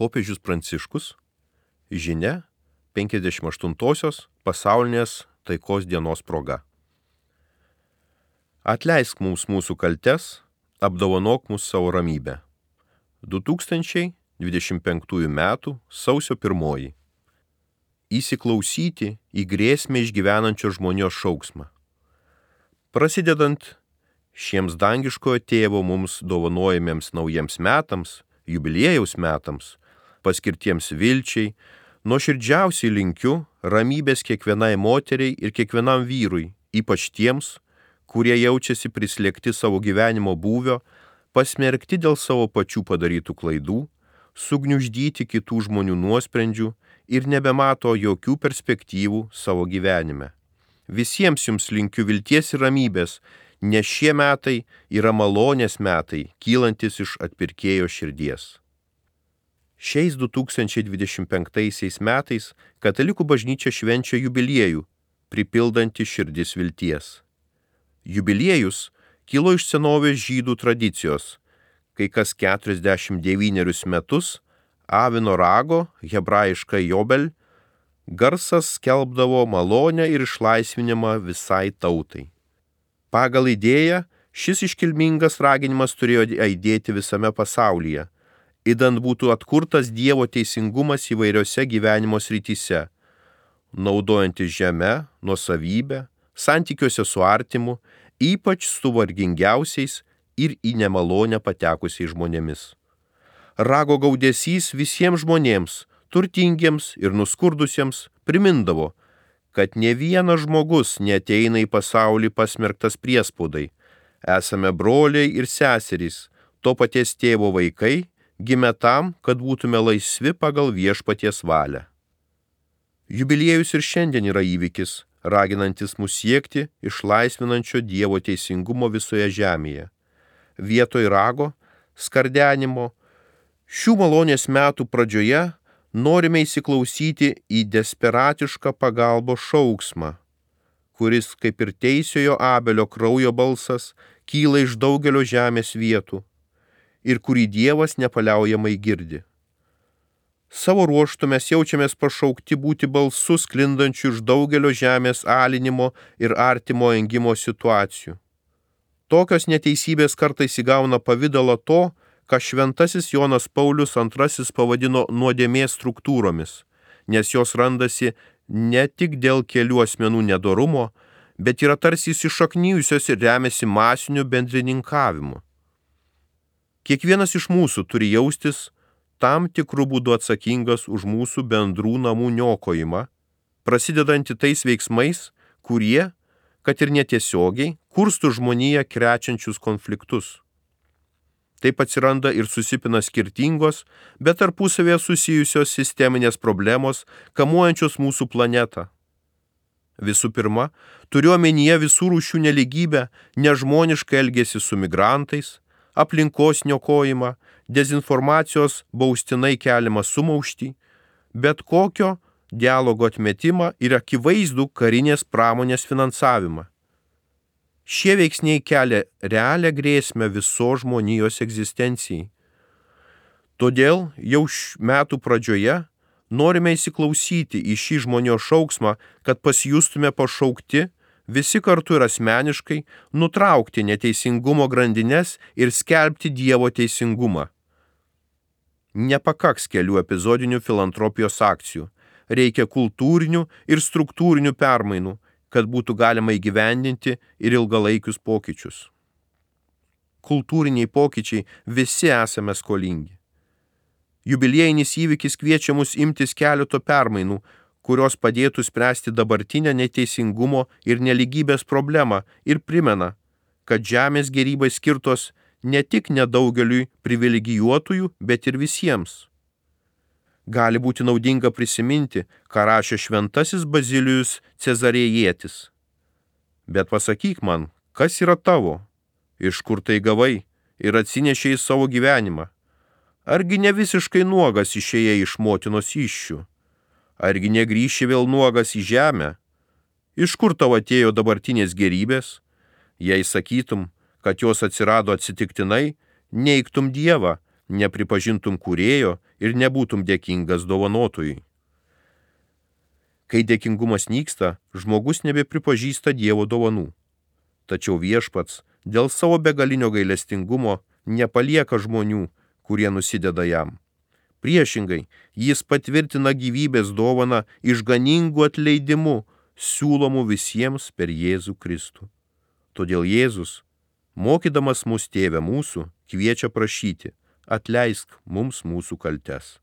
Popiežius Pranciškus, žinia 58-osios pasaulinės taikos dienos proga. Atleisk mums mūsų kaltes, apdovanok mus savo ramybę. 2025 m. sausio 1. Įsiklausyti į grėsmę išgyvenančio žmonijos šauksmą. Prasidedant šiems dangiškojo tėvo mums dovanojamiems naujiems metams, jubiliejaus metams, paskirtiems vilčiai, nuoširdžiausiai linkiu ramybės kiekvienai moteriai ir kiekvienam vyrui, ypač tiems, kurie jaučiasi prislėgti savo gyvenimo būvio, pasmerkti dėl savo pačių padarytų klaidų, sugniuždyti kitų žmonių nuosprendžių ir nebemato jokių perspektyvų savo gyvenime. Visiems jums linkiu vilties ir ramybės, nes šie metai yra malonės metai, kylantis iš atpirkėjo širdies. Šiais 2025 metais Katalikų bažnyčia švenčia jubiliejų, pripildantį širdis vilties. Jubiliejus kilo iš senovės žydų tradicijos, kai kas 49 metus avino rago, hebrajiškai jobel, garsas skelbdavo malonę ir išlaisvinimą visai tautai. Pagal idėją, šis iškilmingas raginimas turėjo aidėti visame pasaulyje, idant būtų atkurtas Dievo teisingumas įvairiose gyvenimo srityse, naudojantis žemę, nuosavybę, santykiuose su artimu, ypač su vargingiausiais ir į nemalonę patekusiais žmonėmis. Rago gaudesys visiems žmonėms, turtingiems ir nuskurdusiems, primindavo, kad ne vienas žmogus neateina į pasaulį pasmerktas priespaudai. Esame broliai ir seserys, to paties tėvo vaikai, gimę tam, kad būtume laisvi pagal viešpaties valią. Jubiliejus ir šiandien yra įvykis, raginantis mus siekti išlaisvinančio Dievo teisingumo visoje žemėje. Vietoj rago, skardenimo, šių malonės metų pradžioje norime įsiklausyti į desperatišką pagalbos šauksmą, kuris, kaip ir teisiojo Abelio kraujo balsas, kyla iš daugelio žemės vietų ir kurį Dievas nepaliaujamai girdi. Savo ruožtu mes jaučiamės pašaukti būti balsu sklindančiu iš daugelio žemės alinimo ir artimo engimo situacijų. Tokios neteisybės kartais įgauna pavidalą to, ką šventasis Jonas Paulius II pavadino nuodėmės struktūromis, nes jos randasi ne tik dėl kelių asmenų nedorumo, bet yra tarsi įsišaknijusios ir remiasi masiniu bendrininkavimu. Kiekvienas iš mūsų turi jaustis tam tikrų būdų atsakingas už mūsų bendrų namų niokojimą, prasidedantį tais veiksmais, kurie, kad ir netiesiogiai, kurstų žmoniją krečiančius konfliktus. Taip atsiranda ir susipina skirtingos, bet tarpusavėje susijusios sisteminės problemos, kamuojančios mūsų planetą. Visų pirma, turiu omenyje visų rūšių nelygybę, nežmonišką elgesį su migrantais, aplinkos niokojimą, dezinformacijos baustinai keliamą sumauštį, bet kokio dialogo atmetimą ir akivaizdų karinės pramonės finansavimą. Šie veiksniai kelia realią grėsmę visos žmonijos egzistencijai. Todėl jau metų pradžioje norime įsiklausyti į šį žmonijos šauksmą, kad pasijustume pašaukti visi kartu ir asmeniškai nutraukti neteisingumo grandines ir skelbti Dievo teisingumą. Nepakaks kelių epizodinių filantropijos akcijų, reikia kultūrinių ir struktūrinių permainų, kad būtų galima įgyvendinti ir ilgalaikius pokyčius. Kultūriniai pokyčiai visi esame skolingi. Jubiliejinis įvykis kviečia mus imtis keleto permainų, kurios padėtų spręsti dabartinę neteisingumo ir nelygybės problemą ir primena, kad žemės gėrybai skirtos ne tik nedaugeliui privilegijuotųjų, bet ir visiems. Gali būti naudinga prisiminti, ką rašė šventasis Bazilijus Cezarėjietis. Bet pasakyk man, kas yra tavo, iš kur tai gavai ir atsinešei savo gyvenimą? Argi ne visiškai nuogas išėjai iš motinos įsčių? Argi negrįši vėl nuogas į žemę? Iš kur tau atėjo dabartinės gėrybės? Jei sakytum, kad jos atsirado atsitiktinai, neigtum Dievą, nepripažintum kūrėjo ir nebūtum dėkingas dovanotojui. Kai dėkingumas nyksta, žmogus nebepripažįsta Dievo dovanų. Tačiau Viešpats dėl savo begalinio gailestingumo nepalieka žmonių, kurie nusideda jam. Priešingai, jis patvirtina gyvybės dovaną išganingu atleidimu, siūlomu visiems per Jėzų Kristų. Todėl Jėzus, mokydamas mus Tėve mūsų, kviečia prašyti: atleisk mums mūsų kaltes.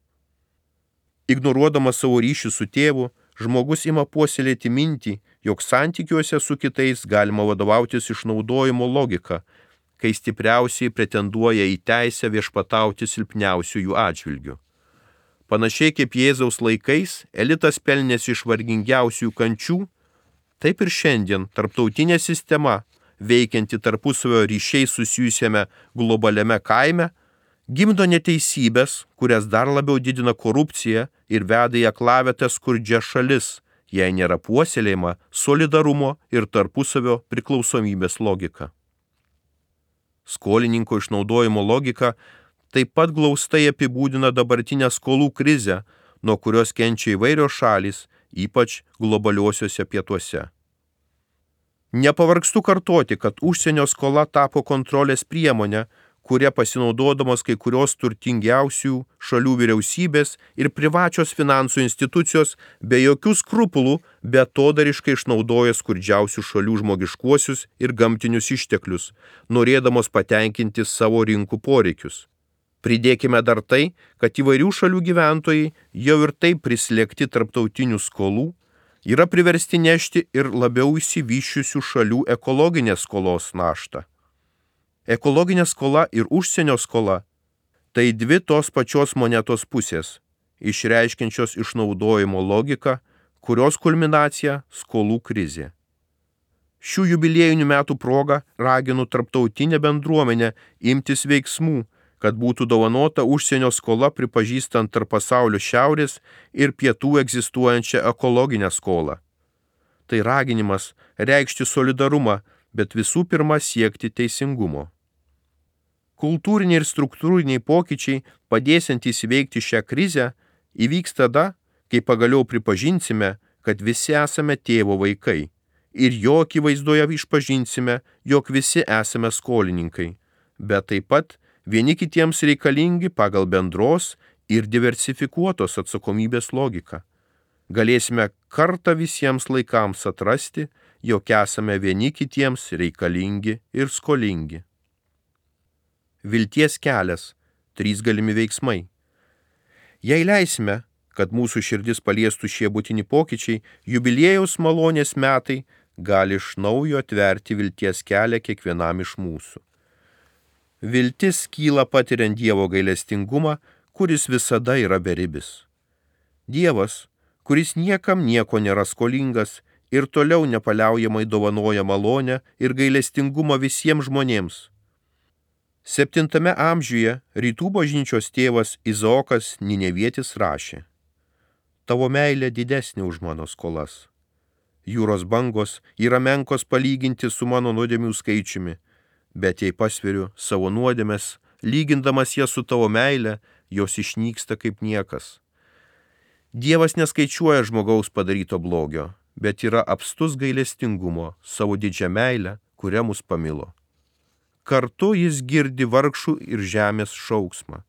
Ignoruodamas savo ryšį su Tėvu, žmogus ima puoselėti mintį, jog santykiuose su kitais galima vadovautis išnaudojimo logika, kai stipriausiai pretenduoja į teisę viešpatauti silpniausiųjų atžvilgių. Panašiai kaip Jėzaus laikais elitas pelnėsi iš vargingiausių kančių, taip ir šiandien tarptautinė sistema, veikianti tarpusavio ryšiai susijusiame globaliame kaime, gimdo neteisybės, kurias dar labiau didina korupcija ir veda į aklavietę skurdžias šalis, jei nėra puoselėjama solidarumo ir tarpusavio priklausomybės logika. Skolininko išnaudojimo logika taip pat glaustai apibūdina dabartinę skolų krizę, nuo kurios kenčia įvairios šalys, ypač globaliuosiuose pietuose. Nepavargstu kartoti, kad užsienio skola tapo kontrolės priemonė, kuria pasinaudodamos kai kurios turtingiausių šalių vyriausybės ir privačios finansų institucijos be jokių skrupulų beatodariškai išnaudoja skurdžiausių šalių žmogiškuosius ir gamtinius išteklius, norėdamos patenkinti savo rinkų poreikius. Pridėkime dar tai, kad įvairių šalių gyventojai jau ir taip prislėgti tarptautinių skolų, yra priversti nešti ir labiau išsivysčiusių šalių ekologinės skolos naštą. Ekologinė skola ir užsienio skola – tai dvi tos pačios monetos pusės, išreiškiančios išnaudojimo logiką, kurios kulminacija – skolų krizė. Šių jubiliejinių metų proga raginu tarptautinę bendruomenę imtis veiksmų, kad būtų dovanota užsienio skola pripažįstant tarp pasaulio šiaurės ir pietų egzistuojančią ekologinę skolą. Tai raginimas reikšti solidarumą, bet visų pirma siekti teisingumo. Kultūriniai ir struktūriniai pokyčiai, padėsiantys įveikti šią krizę, įvyks tada, kai pagaliau pripažinsime, kad visi esame Tėvo vaikai ir jo akivaizdoje išpažinsime, jog visi esame skolininkai, bet taip pat vieni kitiems reikalingi pagal bendros ir diversifikuotos atsakomybės logiką. Galėsime kartą visiems laikams atrasti, jog esame vieni kitiems reikalingi ir skolingi. Vilties kelias – 3 galimi veiksmai. Jei leisime, kad mūsų širdis paliestų šie būtini pokyčiai, jubiliejaus malonės metai gali iš naujo atverti vilties kelią kiekvienam iš mūsų. Viltis kyla patiriant Dievo gailestingumą, kuris visada yra beribis. Dievas, kuris niekam nieko nėra skolingas ir toliau nepaliaujamai dovanoja malonę ir gailestingumą visiems žmonėms. 7 amžiuje rytų bažnyčios tėvas Izaokas Ninevietis rašė: Tavo meilė didesnė už mano skolas. Jūros bangos yra menkos palyginti su mano nuodėmių skaičiumi, bet jei pasveriu savo nuodėmes, lygindamas jas su tavo meile, jos išnyksta kaip niekas. Dievas neskaičiuoja žmogaus padaryto blogio, bet yra apstus gailestingumo savo didžią meilę, kuria mus pamilo. Kartu jis girdi vargšų ir žemės šauksmą.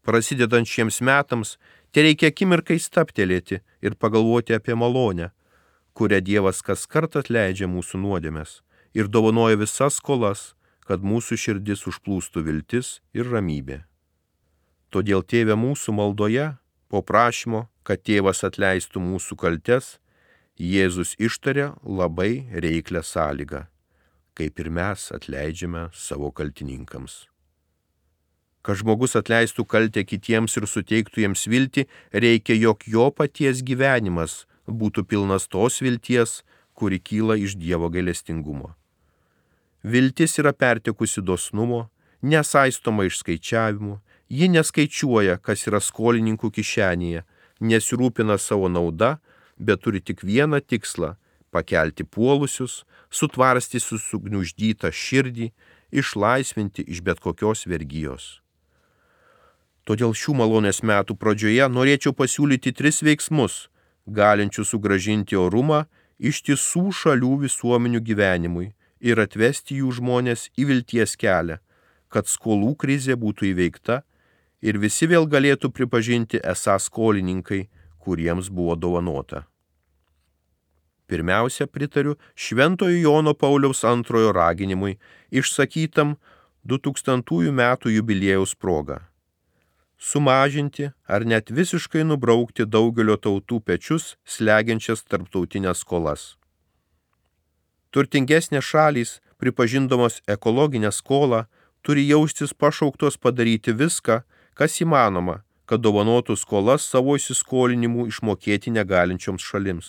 Prasidedant šiems metams, tereikia akimirkai stabtelėti ir pagalvoti apie malonę, kurią Dievas kaskart atleidžia mūsų nuodėmes ir dovanoja visas skolas, kad mūsų širdis užplūstų viltis ir ramybė. Todėl Tėve mūsų maldoje, po prašymo, kad Tėvas atleistų mūsų kaltes, Jėzus ištarė labai reiklią sąlygą, kaip ir mes atleidžiame savo kaltininkams. Kad žmogus atleistų kaltę kitiems ir suteiktų jiems viltį, reikia, jog jo paties gyvenimas būtų pilnas tos vilties, kuri kyla iš Dievo gailestingumo. Viltis yra pertekusi dosnumo, nesaistoma išskaičiavimu, ji neskaičiuoja, kas yra skolininkų kišenėje, nesirūpina savo nauda, bet turi tik vieną tikslą – pakelti puolusius, sutvarstyti sugniuždytą širdį, išlaisvinti iš bet kokios vergijos. Todėl šių malonės metų pradžioje norėčiau pasiūlyti 3 veiksmus, galinčius sugrąžinti orumą ištisų šalių visuomenių gyvenimui ir atvesti jų žmonės į vilties kelią, kad skolų krizė būtų įveikta ir visi vėl galėtų pripažinti esą skolininkai, kuriems buvo dovanota. Pirmiausia, pritariu Šventojo Jono Pauliaus II raginimui išsakytam 2000 metų jubiliejaus proga. Sumažinti ar net visiškai nubraukti daugelio tautų pečius slegiančias tarptautinės skolas. Turtingesnės šalys, pripažindamos ekologinę skolą, turi jaustis pašauktos padaryti viską, kas įmanoma, kad dovanotų skolas savo įsiskolinimų išmokėti negalinčioms šalims.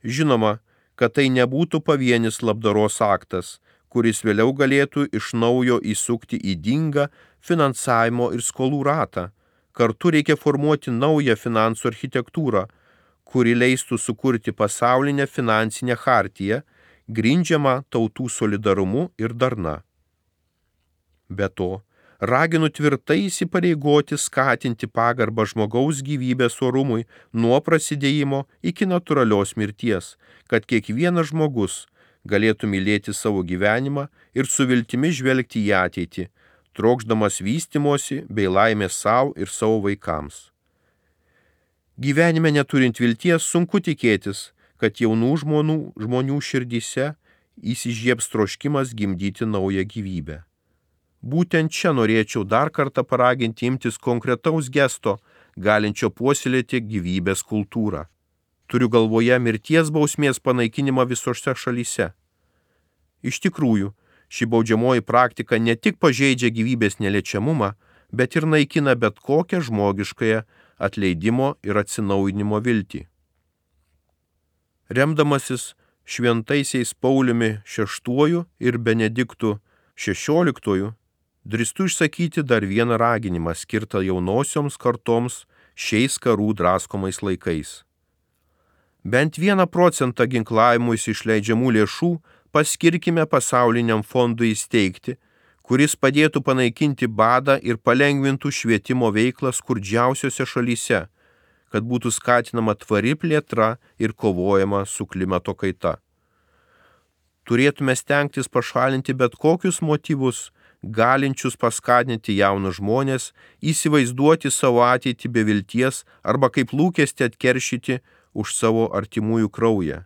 Žinoma, kad tai nebūtų pavienis labdaros aktas, kuris vėliau galėtų iš naujo įsukti ydingą finansavimo ir skolų ratą. Kartu reikia formuoti naują finansų architektūrą, kuri leistų sukurti pasaulinę finansinę chartiją, grindžiamą tautų solidarumu ir darna. Be to, raginu tvirtai įsipareigoti skatinti pagarbą žmogaus gyvybės orumui nuo prasidėjimo iki natūralios mirties, kad kiekvienas žmogus galėtų mylėti savo gyvenimą ir su viltimi žvelgti į ateitį, trokšdamas vystymosi bei laimės savo ir savo vaikams. Gyvenime neturint vilties sunku tikėtis, kad jaunų žmonių širdyse įsižiebs troškimas gimdyti naują gyvybę. Būtent čia norėčiau dar kartą paraginti imtis konkretaus gesto, galinčio puoselėti gyvybės kultūrą. Turiu galvoje mirties bausmės panaikinimą visose šalyse. Iš tikrųjų, ši baudžiamoji praktika ne tik pažeidžia gyvybės neliečiamumą, bet ir naikina bet kokią žmogiškąją atleidimo ir atsinaujinimo viltį. Remdamasis šventaisiais Pauliumi VI ir Benediktu XVI, drįstu išsakyti dar vieną raginimą skirtą jaunosioms kartoms šiais karų draskomais laikais. Bent 1% ginklavimuisi išleidžiamų lėšų paskirkime pasauliniam fondui įsteigti, kuris padėtų panaikinti badą ir palengvintų švietimo veiklą skurdžiausiose šalyse, kad būtų skatinama tvari plėtra ir kovojama su klimato kaita. Turėtume stengtis pašalinti bet kokius motyvus, galinčius paskatinti jaunus žmonės įsivaizduoti savo ateitį be vilties arba kaip lūkestį atkeršyti už savo artimųjų kraują.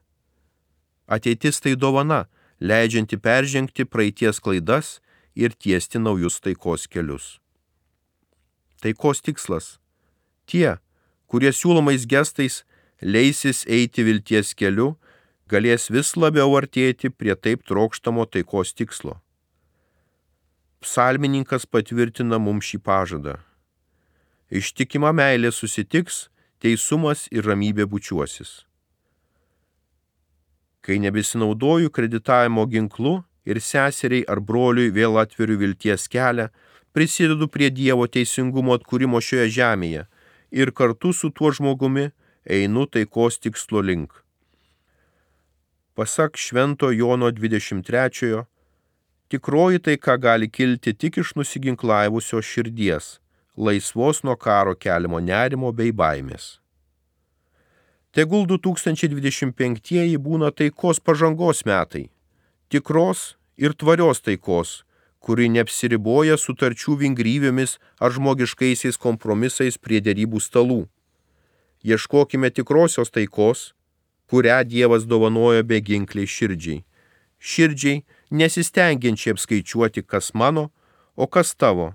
Ateitis tai dovana, leidžianti peržengti praeities klaidas ir tiesti naujus taikos kelius. Taikos tikslas. Tie, kurie siūlomais gestais leisis eiti vilties keliu, galės vis labiau artėti prie taip trokštamo taikos tikslo. Psalmininkas patvirtina mums šį pažadą. Ištikima meilė susitiks, teisumas ir ramybė bučiuosis. Kai nebesinaudoju kreditavimo ginklu ir seseriai ar broliui vėl atveriu vilties kelią, prisidedu prie Dievo teisingumo atkūrimo šioje žemėje ir kartu su tuo žmogumi einu taikos tikslo link. Pasak Švento Jono 23, tikroji taika gali kilti tik iš nusiginklavusios širdies, laisvos nuo karo keliamo nerimo bei baimės. Tegul 2025 būna taikos pažangos metai, tikros ir tvarios taikos, kuri neapsiriboja sutarčių vingrybėmis ar žmogiškaisiais kompromisais prie derybų stalų. Ieškokime tikrosios taikos, kurią Dievas dovanoja beginkliai širdžiai. Širdžiai nesistengiančiai apskaičiuoti, kas mano, o kas tavo.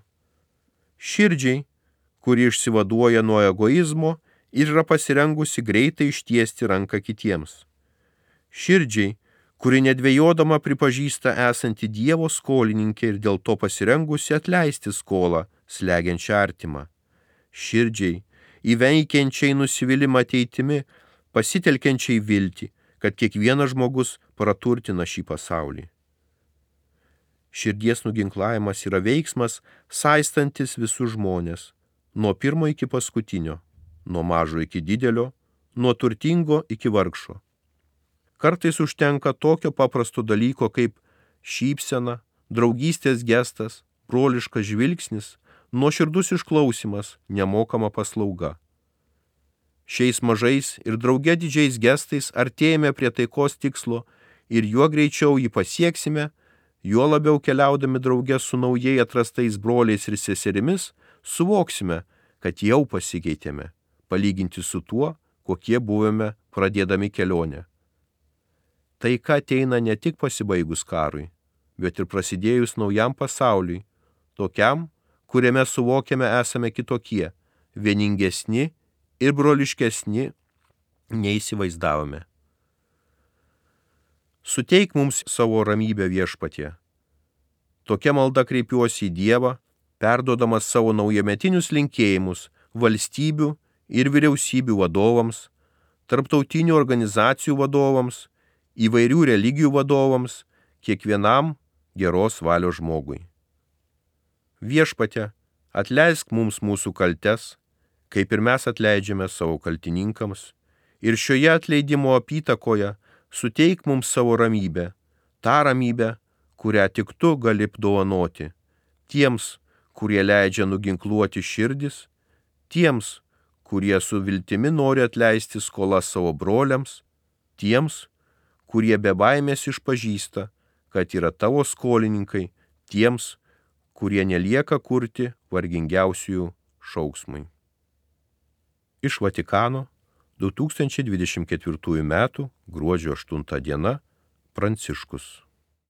Širdžiai, kuri išsivaduoja nuo egoizmo ir yra pasirengusi greitai ištiesti ranką kitiems. Širdžiai, kuri nedvejodama pripažįsta esanti Dievo skolininkė ir dėl to pasirengusi atleisti skolą, slegiančią artimą. Širdžiai, įveikiančiai nusivylimą ateitimi, pasitelkiančiai viltį, kad kiekvienas žmogus praturtina šį pasaulį. Širdies nuginklavimas yra veiksmas, saistantis visus žmonės, nuo pirmo iki paskutinio, nuo mažo iki didelio, nuo turtingo iki vargšo. Kartais užtenka tokio paprasto dalyko kaip šypsena, draugystės gestas, broliškas žvilgsnis, nuoširdus išklausimas, nemokama paslauga. Šiais mažais ir drauge didžiais gestais artėjame prie taikos tikslo ir juo greičiau jį pasieksime, juo labiau keliaudami drauge su naujai atrastais broliais ir seserimis, suvoksime, kad jau pasikeitėme, palyginti su tuo, kokie buvome pradėdami kelionę. Taika ateina ne tik pasibaigus karui, bet ir prasidėjus naujam pasauliui, tokiam, kuriame suvokiame esame kitokie, vieningesni ir broliškesni neįsivaizdavome. Suteik mums savo ramybę, Viešpatie. Tokia malda kreipiuosi į Dievą, perduodamas savo naujametinius linkėjimus valstybių ir vyriausybių vadovams, tarptautinių organizacijų vadovams, įvairių religijų vadovams, kiekvienam geros valios žmogui. Viešpatie, atleisk mums mūsų kaltes, kaip ir mes atleidžiame savo kaltininkams, ir šioje atleidimo apytakoje suteik mums savo ramybę, tą ramybę, kurią tik tu gali dovanoti, tiems, kurie leidžia nuginkluoti širdis, tiems, kurie su viltimi nori atleisti skolas savo broliams, tiems, kurie be baimės išpažįsta, kad yra tavo skolininkai, tiems, kurie nelieka kurti vargingiausiųjų šauksmui. Iš Vatikano 2024 m. gruodžio 8 diena Pranciškus.